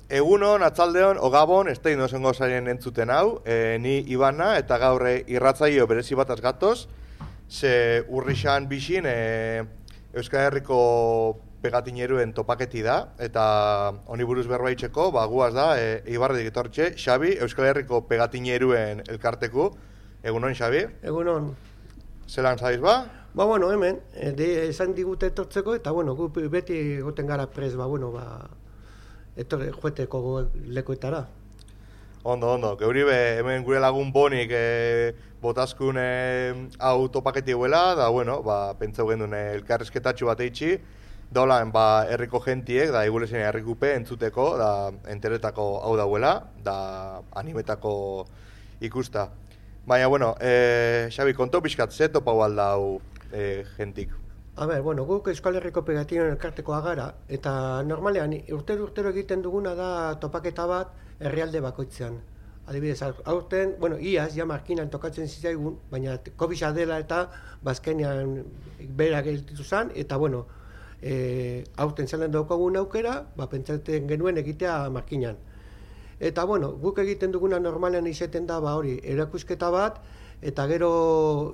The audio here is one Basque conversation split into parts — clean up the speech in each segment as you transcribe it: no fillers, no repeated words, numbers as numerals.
Egunon, atzaldeon, o Gabon, ez da inozengo zarien entzuten hau, ni Ibana eta gaur irratzaio berezi bat gatoz, ze urrixan bixin Euskal Herriko pegatineruen topaketi da, eta honi buruz berbaitxeko, guaz da, Ibarretik etortxe, Xabi, Euskal Herriko pegatineruen elkarteku. Egunon, Xabi? Egunon. Zelan zaiz ba? Bueno, hemen, esan digute etortzeko, eta bueno, gu beti goten gara prez, joeteko lekuetara. Ondo, geuri hemen gure lagun bonik botazkun hau topaketi huela, da bueno, pentsau gendun elkarrezketatxo bat eitxi, daulan herriko gentiek, da igulezen herrikupe entzuteko, da enteretako hau dauela, da animetako ikusta. Baina, bueno, Xabi, konto pixkat, ze topau aldau gentik? Guk Euskal Herriko pegatinen elkartekoa gara, eta normalean urtero egiten duguna da topaketa bat herrialde bakoitzean. Adibidez, aurten, iaz, ja markinan tokatzen zizaigun, baina COVID-a dela eta bazkenean bera gelditu zen, eta aurten zelan daukagun aukera, pentsatzen genuen egitea markinan. Eta guk egiten duguna normalean izaten da erakusketa bat, eta gero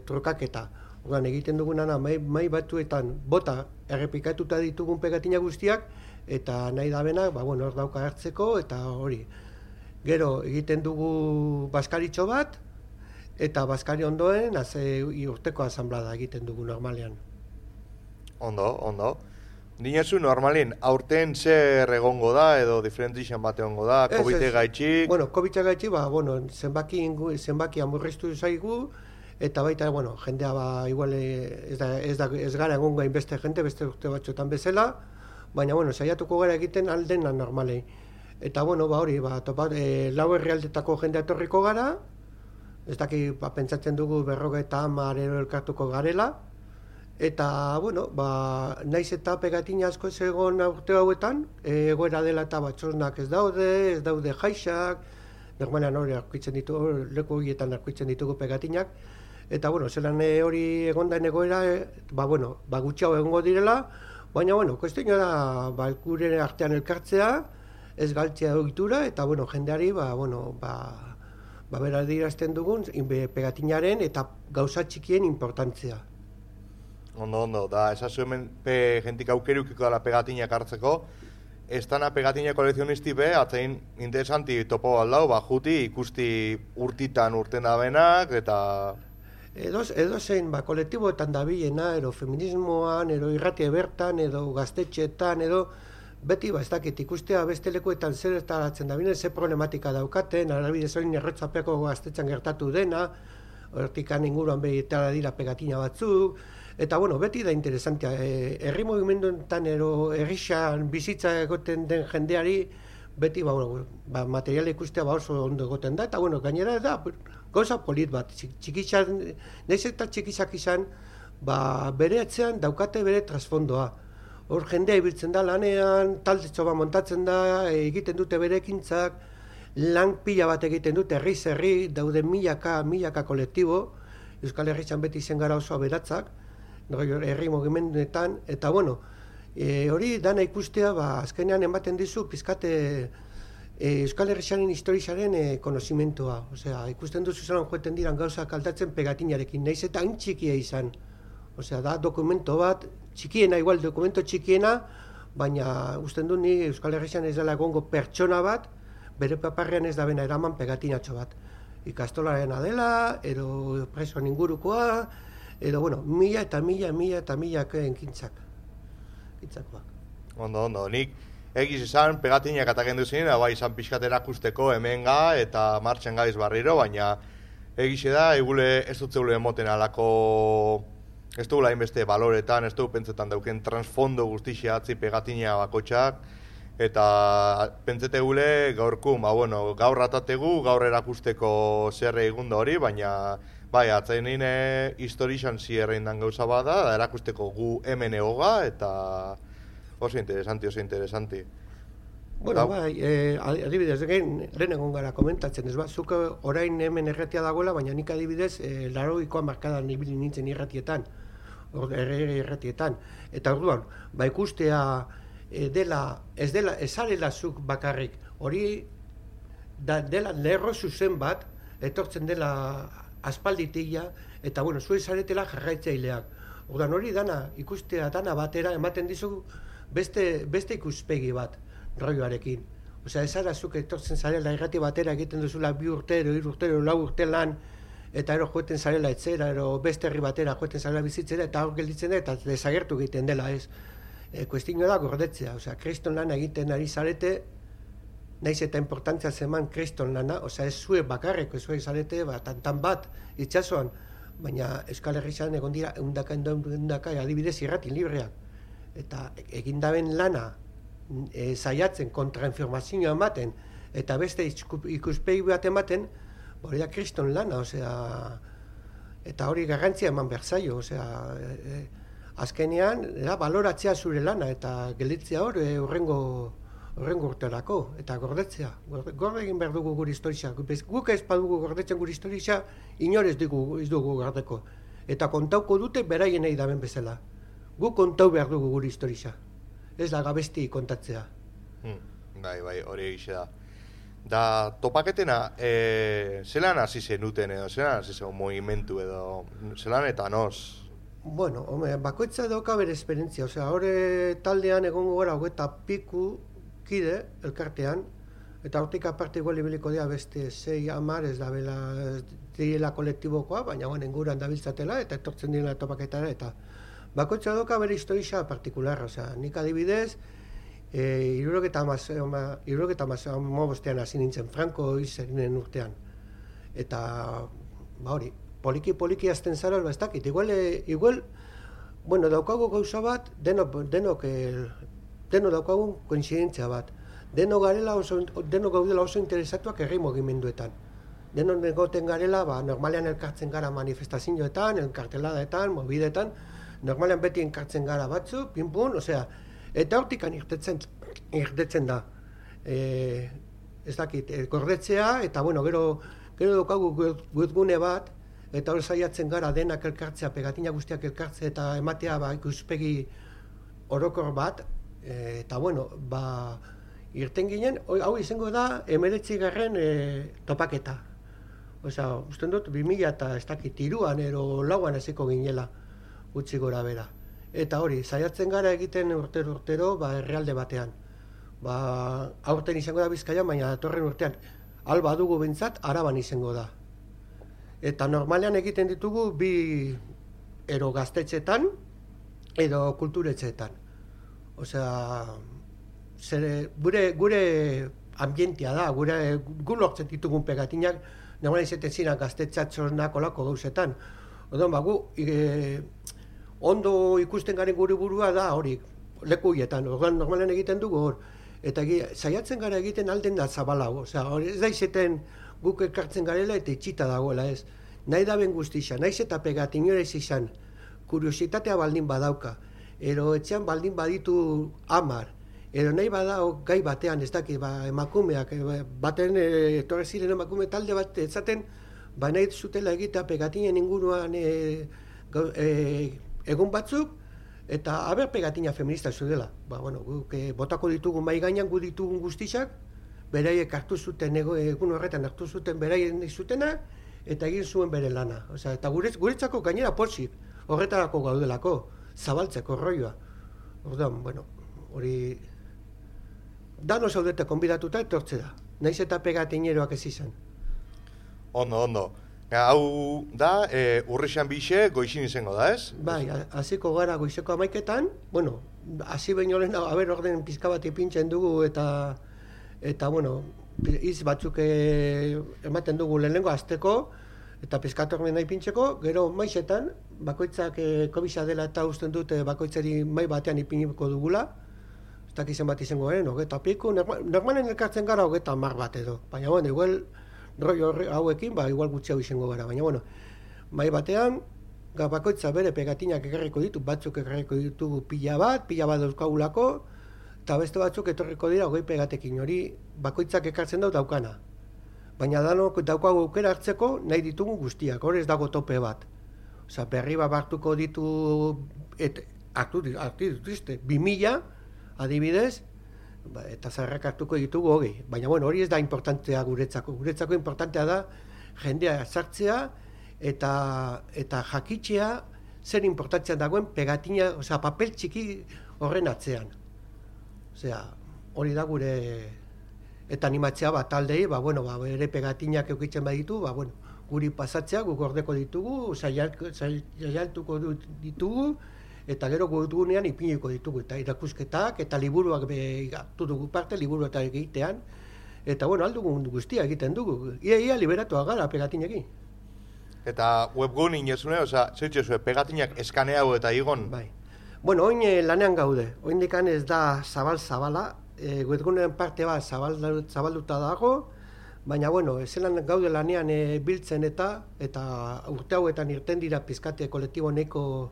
trukaketa. Egiten duguna mai batuetan bota errepikatuta ditugun pegatina guztiak, eta nahi da bena, hor dauka hartzeko, eta hori. Gero egiten dugu baskaritxo bat, eta baskari ondoen urteko asanblada egiten dugu normalean. Ondo. Dinezu normalin, aurten zer egongo da, edo diferentizan bat egongo da, COVID-e gaitxik? COVID-e gaitxik, zenbaki amurriztu zaigu, eta baita, jendea igual ez gara egongo hainbeste jente, beste urte batzuetan bezala, baina, saiatuko gara egiten aldena normalei. Eta, lau herrialdetako jendea etorriko gara, ez daki, pentsatzen dugu 50 elkartuko garela, eta, naiz eta pegatina asko ez egon urte hauetan, egoera dela eta batxosnak ez daude jaixak, normalean hori leku horietan arkuitzen ditugu pegatinak, eta, zelan hori egondaen egoera, gutxiago egongo direla, baina, kuestioa da, gure artean elkartzea, ez galtzea ohitura, eta, jendeari, bera dirazten dugun, pegatinaren eta gauza txikien importantzia. Ondo, da, esazu hemen jentik aukerukiko dela pegatinak hartzeko, ez dana pegatina kolezionisti atzein interesanti topo aldau, juti ikusti urtitan urten da benak, eta... Edo zein, kolektiboetan dabilena, edo feminismoan, edo irratie bertan, edo gaztetxeetan, edo beti, ez dakit, ikustea beste lekuetan zer estaratzen dabilen, ze problematika daukaten, arabidez hori erretzapeko gaztetxan gertatu dena, hortikan inguruan behitara dira pegatina batzuk, eta beti da interesantea, herri mugimenduetan edo herrixan bizitza egoten den jendeari, beti materiala ikustea oso ondo egoten da, eta gainera da, gauza polit bat, txikizan, nahiz eta txikizak izan, bere atzean daukate bere trasfondoa. Hor jendea ibiltzen da lanean, taldetxo bat montatzen da, egiten dute bere ekintzak, lan pila bat egiten dute, herri, daude milaka kolektibo, Euskal Herrian beti izen gara oso aberatzak, herri mugimenduetan, eta hori dana ikustea, azkenean ematen dizu, pizkate Euskal Herriaren historizaren konozimentua. Ikusten duzu zelan joeten diran gauzak aldatzen pegatinarekin, nahiz eta hain txikia izan. Da dokumento bat, dokumento txikiena, baina usten du ni Euskal Herrian ez dela egongo pertsona bat, bere paparrean ez da bena eraman pegatinatxo bat. Ikastolarena dela, edo presoan ingurukoa, edo, mila eta mila enkintzak. Ondo, nik egiz izan pegatinak atakendu zen, izan pixkat erakusteko hemenga eta martxan gaiz barriro, baina egize da, egule ez dut zeule emoten alako, ez dugula inbeste baloretan, ez dugu pentsetan dauken transfondo guztixea atzi pegatina bakotxak, eta pentsete gule gaurkun, gaur ratategu, gaur erakusteko zerre egunda hori, baina atzain nire historizan zierrein dan gauza bada, da erakusteko gu hemen egoga, eta oso interesanti. Adibidez, lehen egon gara komentatzen, ez zuk orain hemen erratia dagoela, baina nik adibidez, 80koa markadan ibili nintzen irratietan, erratietan. Eta orduan, ikustea ez zarela zuk bakarrik, hori dela lerro zuzen bat, etortzen dela aspalditila, eta bueno, zuek zaretela jarraitzaileak. Ordan hori dana, ikustea dana batera, ematen dizu beste ikuspegi bat, rolloarekin. Osea, ez zara zuk etortzen zarela irrati batera egiten duzula 2 urtero, 3 urtero, 4 urte lan, eta ero joeten zarela etzera, ero beste herri batera joeten zarela bizitzera, eta hor gelditzen da, eta desagertu egiten dela, ez. Kuestio da gordetzea, osea, kriston lana egiten ari zarete, naiz eta importantzia zeman kriston lana, osea, ez zuek bakarreko, ez zuek zarete, tantan bat, itxasoan, baina Euskal Herrian egon dira eundaka adibidez irrati libreak. Eta egindaben lana saiatzen kontrainformazioa ematen, eta beste ikuspegi bat ematen, hori da kriston lana, osea, eta hori garrantzia eman behar zaio, osea, azkenean, baloratzea zure lana, eta gelditzea hor urrengo urterako, eta gordetzea. Gorde egin behar dugu gure historia. Guk ez badugu gordetzen gure historia, inor ez dugu gordeko. Eta kontauko dute beraien nahi daben bezala. Guk kontau behar dugu gure historia. Ez da gabesti kontatzea. Bai, hori egixe da. Da, topaketena, zelan hasi zenuten edo, zelan hasi zen movimentu edo, zelan eta noz? Bueno, bakoitza dauka bere esperientzia. Osea, hori taldean egongo gara 20 kide elkartean, eta hortik aparte igual ibiliko dira beste 6-10 ez direla kolektibokoa, baina inguruan dabiltzatela eta etortzen direla topaketara, eta bakoitza dauka bere historia partikularra, osea, nik adibidez, 75 hasi nintzen, Franco izenen urtean, eta hori, poliki azten zara, ez dakit, igual, bueno, daukagu gauza bat, denok daukagun koinzidentzia bat. Denok gaudela oso interesatuak herri mugimenduetan. Denok negoten garela, normalean elkartzen gara manifestazioetan, elkarteladaetan, mobidetan, normalean beti elkartzen gara batzu, pinpun, osea, eta hortikan irtetzen da. Ez dakit, gordetzea, eta bueno, gero daukagu webgune bat, eta hor saiatzen gara denak elkartzea, pegatina guztiak elkartzea, eta ematea ikuspegi orokor bat, eta bueno, irten ginen, hau izango da 19. Topaketa. Osea, usten dut 2000 eta ez dakit 3an ero 4an hasiko ginela gutxi gora bera. Eta hori, saiatzen gara egiten urtero herrialde batean. Aurten izango da Bizkaian, baina datorren urtean alba dugu behintzat Araban izango da. Eta normalean egiten ditugu 2 ero gaztetxetan edo kulturetxeetan. Osea, gure ambientia da, gu lortzen ditugun pegatinak, normalen izaten ziren gaztetxatxonak olako gauzetan. Odon, gu ondo ikusten garen gure burua da hori, leku hietan, normalen egiten dugu hor. Eta saiatzen gara egiten alden da zabalau, osea, ez da izeten guk ekartzen garela eta itxita dagoela ez. Nahi da ben guztia, nahiz eta pegatinores izan, kuriositatea baldin badauka, ero etxean baldin baditu 10, ero nahi badao gai batean, ez dakit, emakumeak, baten etorri ziren emakume talde bat ezaten, nahi zutela egitea pegatinen inguruan egun batzuk, eta haber pegatina feminista zudela. Guk botako ditugun mai gainan gu ditugun guztiak, beraiek hartu zuten, egun horretan hartu zuten beraien zutena, eta egin zuen bere lana. Eta guretzako gainera pozik, horretarako gaudelako, zabaltzeko rolloa. Orduan, hori... Dano zaudete konbidatuta etortze da, naiz eta pegatineroak ez izan. Ondo. Hau da, urrixan bixe goizin izango da, ez? Bai, hasiko gara goizeko 11etan, hasi baino lehen, orden pizka bat ipintzen dugu eta hitz batzuk ematen dugu lehenengo azteko, eta pizkatormen nahi pintzeko, gero maizetan, bakoitzak kobisa dela eta usten dute bakoitzari mai batean ipiniko dugula, ez dakizen bat izango garen, 20 normalen elkartzen gara 30 bat edo, baina igual rollo hauekin, igual gutxiago izango gara, baina mai batean, bakoitza bere pegatinak ekarriko ditu, batzuk ekarriko ditugu pila bat dauzkagulako, eta beste batzuk etorriko dira 20 pegatekin, hori bakoitzak ekartzen daukana. Baina danok daukagu aukera hartzeko nahi ditugu guztiak, hor ez dago tope bat. Berri bat hartuko ditu, hartu dituzte, 2000, adibidez, eta zaharrak hartuko ditugu hogei. Baina, bueno, hori ez da importantea guretzako. Guretzako importantea da jendea sartzea eta jakitzea zer importantzia dagoen pegatina, osea, papel txiki horren atzean. Osea, hori da gure eta animatzea taldei, bere pegatinak eukitzen baditu, guri pasatzea, guk gordeko ditugu, saialtuko ditugu, eta gero gutugunean ipiniko ditugu, eta irakusketak, eta liburuak hartu dugu parte, liburuak egitean, eta aldugun guztia egiten dugu. Ia liberatuak gara pegatinekin. Eta webgun inezune, zeitxezue, pegatinak eskaneago eta igon? Bai. Oin lanean gaude, oindikan ez da zabala, webgunen parte bat zabalduta dago, baina, zelan gaude lanean biltzen eta urte hauetan irten dira pizkate kolektibo neko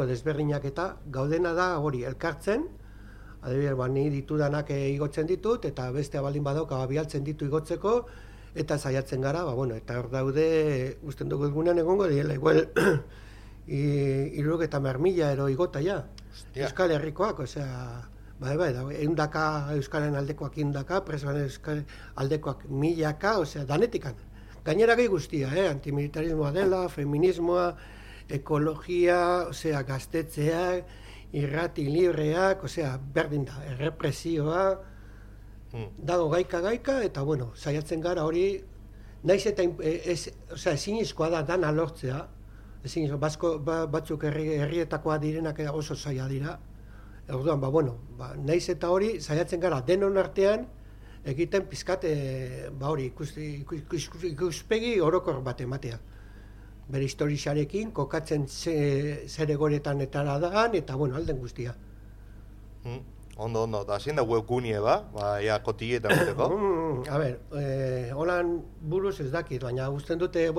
desberdinak eta gaudena da hori elkartzen, adibidez, ni ditudanak igotzen ditut, eta beste baldin badauka bialtzen ditu igotzeko, eta saiatzen gara, eta hor daude, usten dugu egunean egongo diela, igual, 70.000 ero igota ja, Euskal Herrikoak, osea, eundaka Euskalen aldekoak indaka, presoan Euskal aldekoak milaka, osea, danetikan. Gainera gehi guztia, antimilitarismoa dela, feminismoa, ekologia, osea, gaztetzeak, irrati libreak, osea, berdin da, errepresioa, dago gaika, eta saiatzen gara hori, naiz eta ezinezkoa da dana lortzea, batzuk herrietakoa direnak oso zaila dira, orduan, naiz eta hori, saiatzen gara denon artean, egiten pizkat, ikuspegi orokor bat ematea. Bere historiarekin, kokatzen zer egoretan etara dagan, eta alden guztia. Ondo, eta zein da webgunie kotilletan guteko? Holan buruz ez dakit, baina usten dute,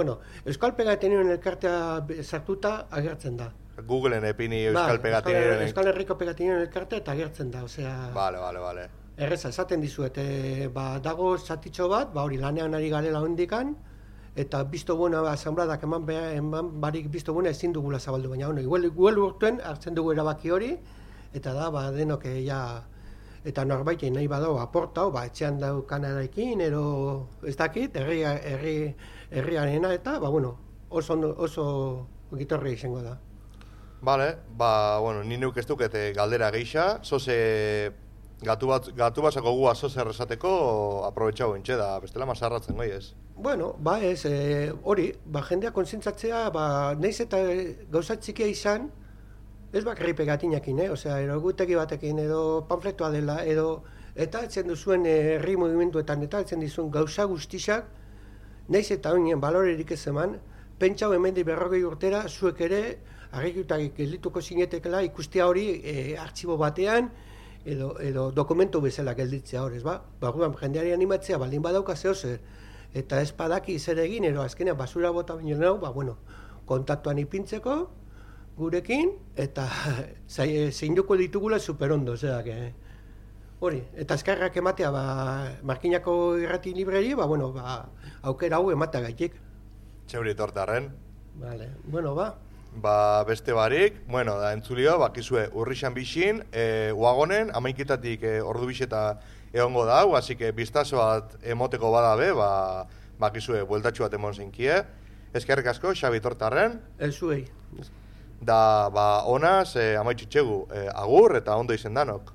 Euskal Pegatinien elkartea sartuta agertzen da. Googleen epini Euskal Pegatinien... Euskal Herriko Pegatinien elkartea eta agertzen da, osea... Bale. Erreza, esaten dizuet, dago zatitxo bat, hori lanean ari garela hondikan, eta bizto buena asambradak eman barik bizto buena ezin dugula zabaldu, baina igual urtuen hartzen dugu erabaki hori, eta da, denok eta norbait nahi badau aportau, etxean daukanarekin, ero ez dakit, herriarena, eta, oso gitorri izango da. Bale, ni neuk ez duket galdera geixa, zoze gatu basako gua zoze errezateko aprobetxau entxe da, bestela masarratzen goi ez? Ez, hori, jendea kontzentzatzea, nahiz eta gauza txikia izan, ez bakarri pegatinakin, egutegi batekin, edo panfletoa dela, eta etzen duzuen herri movimentuetan, eta etzen dizuen gauza guztizak, nahiz eta honien balorerik ez eman, pentsau hemendik 40 urtera, zuek ere, argikutak geldituko zinetekela ikustea hori artxibo batean, edo dokumentu bezala gelditzea hor, ez ba? Jendeari animatzea, baldin badauka zehozer, eta ez badaki zer egin, edo azkenean basura bota baino nahu, kontaktuan ipintzeko, gurekin, eta zeinduko ditugula superondo, hori, eta eskarrak ematea, Markinako irrati libreri, aukera hau ematea gaitik. Txeuri tortarren. Bale, beste barik, da entzulio, bakizue urrixan bixin, uagonen, amaiketatik ordu bixeta egongo da, así que biztazo bat emoteko badabe, bakizue bueltatxu bat emon zinkie. Eskerrik asko, Xabi Tortarren. Zuei. Da, honaz, amaitxutxegu, agur eta ondo izen danok.